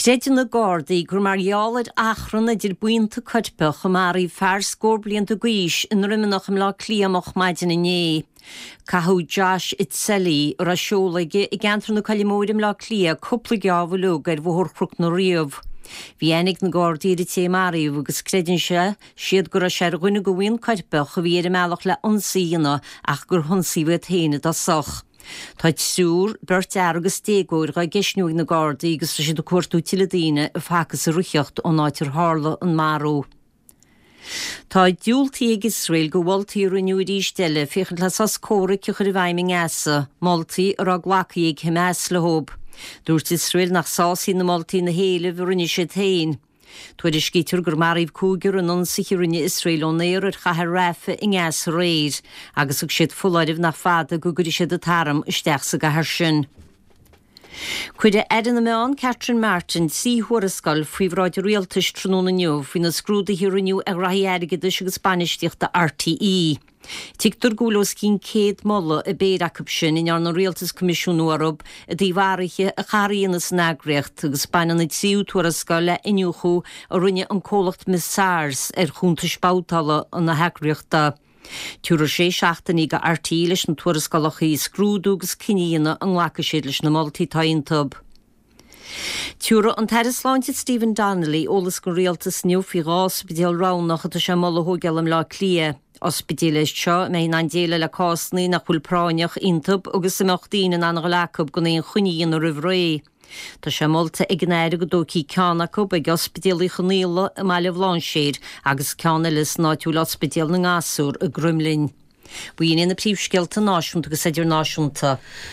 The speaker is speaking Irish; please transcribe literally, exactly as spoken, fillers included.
Creideann na Gardaí gur mar gheall ar achrann idir buíonta coirpeach a maraíodh fear scór blianta d'aois i nDroimeanach i mBleá Cliath moch maidin inné. Caitheadh Josh Itzelli a raibh seoladh aige i gceantar na Coille Móire i mBleá Cliath cúpla geábh uilig ar Bhóthar Chnoc na Riabh. Bhí aithne ag na Gardaí ar an té a maraíodh agus creideann sé siad go raibh sé ar dhuine de bhuíon coirpeach a bhí ar an mbealach le ionsaí a dhéanamh ach gur hionsaíodh iad féin i dtosach. Tá triúr, beirt fhear agus déagóir dhá gceistniú ag na Gardaí agus tá siad ag cuartú tuilleadh daoine a facthas ag rith ón áit ar tharla an marú. Tá diúltaithe ag Iosrael do mholtaí a rinneadh arís eile féachaint le sos comhraic a chur i bhfeidhm i nGaza, moltaí a raibh glactha ag Hamas leo. Dúirt Iosrael nach sásaíonn na moltaí na héilimh a rinne siad féin. Tuairiscítear gur maraíodh cúigear in ionsaithe a rinne Iosrael ón aer ar chathair Rafah i nGaza aréir, agus thug siad foláireamh nach fada go gcuirfidh siad an t-arm isteach sa gcathair sin. Cuirfidh Aire na Meán Catherine Martin trí thuarascáil faoi bhráid an rialtais tráthnóna inniu faoi na scrúduithe a rinneadh ar ghraithí airgeadais agus bainistíochta RTÉ. Tuigtear go bhfuil os cionn céad moladh i bpéire acu sin a ndearna an rialtas coimisiúnú orthu i dtaobh athruithe a chaithfear a dhéanamh san eagraíocht agus baineann an tríú tuarascáil le iniúchadh a rinne an comhlacht Mazars ar chuntais babhtála na heagraíochta. Tabharfar sé seachtainí do RTÉ leis na tuarascálacha a scrúdú agus cinneadh a dhéanamh an nglacfaidh siad leis na moltaí atá iontu. Tabharfaidh an tAire Sláinte Stephen Donnelly eolas don rialtas inniu faoi dhá ospidéal roghnach atá sé ag moladh a thógáil i mBleá Cliath. Ospidéil iad seo a mbeidh in ann déileáil le cásanna nach bhfuil práinneach iontu agus a mbeadh daoine in ann a dhul acu gan aon choinne a dhéanamh roimh ré. Tá sé molta ag an Aire go dtógfaí ceann acu ag Ospidéal Uí Chonghaile i mBaile Bhlainséir agus ceann eile san áit a bhfuil Ospidéal na nGasúr i gCroimlinn. B'in iad na príomhscéalta náisiúnta agus idirnáisiúnta.